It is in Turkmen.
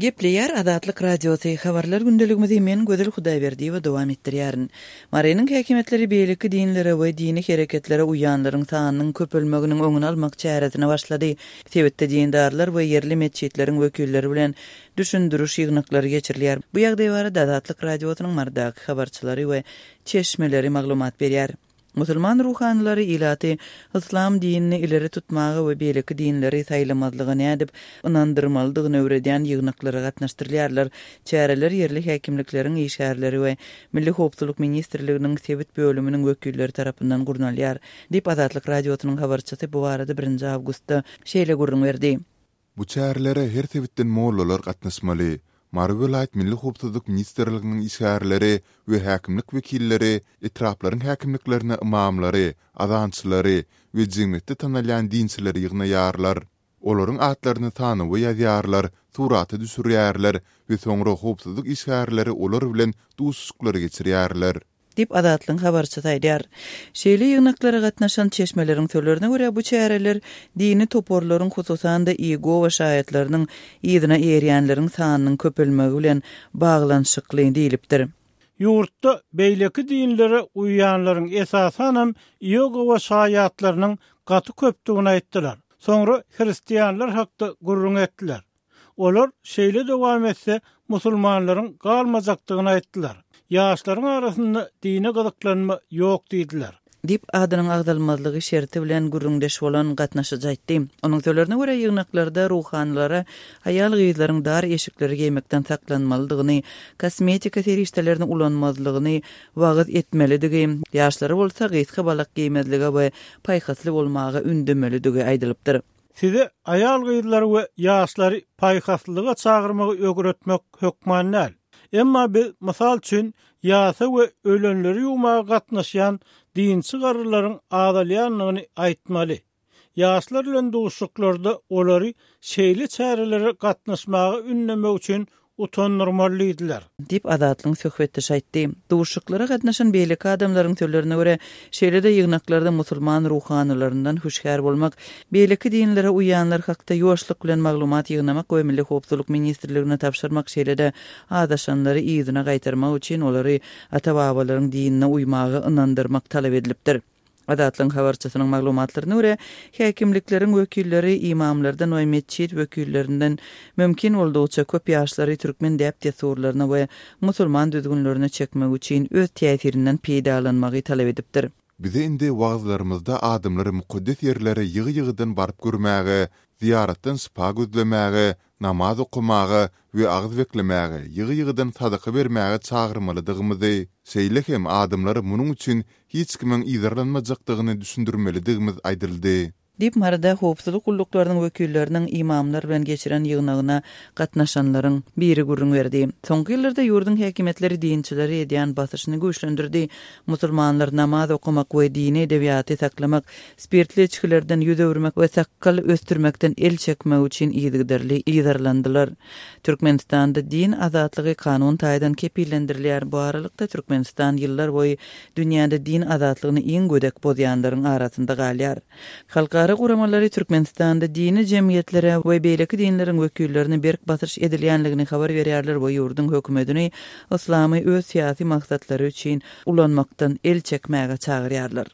Gepleýär Azatlyk Radiosy, Habarlar gündeligimizi men Gözel Hudaýberdiýewa dowam etdirýärin. Marynyň häkimiýetleri beýleki dinlere we dini hereketlere uýanlaryň sanynyň köpelmeginiň öňüni almak çäresine başlady. Sebitde dindarlar we ýerli metjitleriň wekilleri bilen düşündiriş ýygnaklary geçirilýär. Bu ýagdaý barada Azatlyk Radiosynyň Marydaky habarçylary we çeşmeleri maglumat berýär. Musulman ruhanylary ilaty yslam dinini ileri tutmaga we beýleki dinleri saýlamazlyga nädip ynandyrmalydygyny öwredýän ýygnaklara gatnaşdyrylýarlar. Çäreler ýerli häkimlikleriň işgärleri we Milli howpsuzlyk ministrliginiň sebit bölüminiň wekilleri tarapyndan gurnalýar, diýip, Azatlyk Radiosynyň habarçysy bu barada birinji awgustda şeýle gürrüň berdi. Bu çärelere her sebitden mollalar gatnaşmaly. Mary welaýat Milli howpsuzlyk ministrliginiň işgärleri we häkimlik wekilleri etraplaryň häkimliklerine ymamlary, azançylary we jemgyýetde tanalýan dinçileri ýygnaýarlar. Olaryň atlaryny sanawa ýazýarlar, surata düşürýärler we soňra howpsuzlyk işgärleri olar bilen duşuşyklary geçirýärler. Diýip, Azatlygyň habarçysy aýdýar. Şeýle ýygnaklara gatnaşan çeşmeleriň sözlerine görä, bu çäreler dini toparlaryň, hususan-da, Iýegowa şaýatlarynyň yzyna eýerýänleriň sanynyň köpelmegi bilen baglanyşykly diýlipdir. Ýurtda beýleki dinlere uýýanlaryň, esasanam, Iýegowa şaýatlarynyň gaty köpdügini aýtdylar. Soňra hristianlar hakda gürrüň etdiler. Olar şeýle dowam etse, musulmanlaryň galmajakdygyny aýtdylar. Ýaşlaryň arasynda dine gyzyklanma ýok diýdiler. Diýip, adynyň agzalmazlygy şerti bilen gürrüňdeş bolan gatnaşyjy aýtdy. Onuň sözlerine görä, ýygnaklarda ruhanylara aýal-gyzlaryň dar eşikleri geýmekden saklanmalydygyny, kosmetika serişdelerini ulanmazlygyny wagyz etmelidigi, ýaşlara bolsa gysga balak geýmezlige we paýhasly bolmaga ündemelidigi aýdylypdyr. Size aýal-gyzlary we ýaşlary paýhaslylyga çagyrmagy öwretmek hökman däl. Emma biz, mysal üçin, ýasa we ölenleri ýuwmaga gatnaşýan dinçi garrylaryň azalýandygyny aýtmaly. Ýaşlar bilen duşuşyklarda olary şeýle çärelere gatnaşmaga ündemek üçin utandyrmaly diýdiler. Diýip, Azatlygyň söhbetdeşi aýtdy. Duşuşyklara gatnaşan beýleki adamlaryň sözlerine görä, şeýle-de ýygnaklarda musulman ruhanylaryndan hüşgär bolmak, beýleki dinlere uýýanlar hakda ýuwaşlyk bilen maglumat ýygnamak we Milli howpsuzlyk ministrligine tabşyrmak, şeýle-de azaşanlary yzyna gaýtarmak üçin olary ata-babalaryň dinine uýmaga ynandyrmak talap edilipdir. Azatlygyň habarçysynyň maglumatlaryna görä, häkimlikleriň wekilleri ymamlardan we metjit wekillerinden mümkin boldugyça köp ýaşlary türkmen däp-dessurlaryna we musulman düzgünlerine çekmek üçin öz täsirinden peýdalanmagy talap edipdir. Bize indi wagyzlarymyzda adamlary mukaddes ýerlere ýygy-ýygydan baryp görmäge, zyýaratdan şypa gözlemäge, namaz okamaga we agyz beklemäge, ýygy-ýygydan sadaka bermäge çagyrmalydygymyzy, şeýle hem adamlara munuň üçin hiç kimiň yzarlanmajakdygyny düşündirmelidigimiz aýdyldy. Diýip, Maryda howpsuzlyk gulluklarynyň wekilleriniň ymamlar bilen geçiren ýygnagyna gatnaşanlaryň biri gürrüň berdi. Soňky ýyllarda ýurduň häkimiýetleri dinçilere edýän basyşyny güýçlendirdi. Musulmanlar namaz okamak we dini edebiýaty saklamak, spirtli içgilerden 100 öwürmek we sakgal ösdürmekden el çekmek üçin yzygiderli yzarlandylar. Türkmenistanda din azatlygy kanun taýdan kepillendirilýär. Bu aralykda, Türkmenistan ýyllar boýy dünýäde din azatlygyny iň gödek bozýanlaryň arasynda galýar. Halkara guramalary Türkmenistanda dini jemgyýetlere we beýleki dinleriň wekillerine berk basyş edilýänligini habar berýärler we ýurduň hökümetini yslamy öz syýasy maksatlary üçin ulanmakdan el çekmäge çagyrýarlar.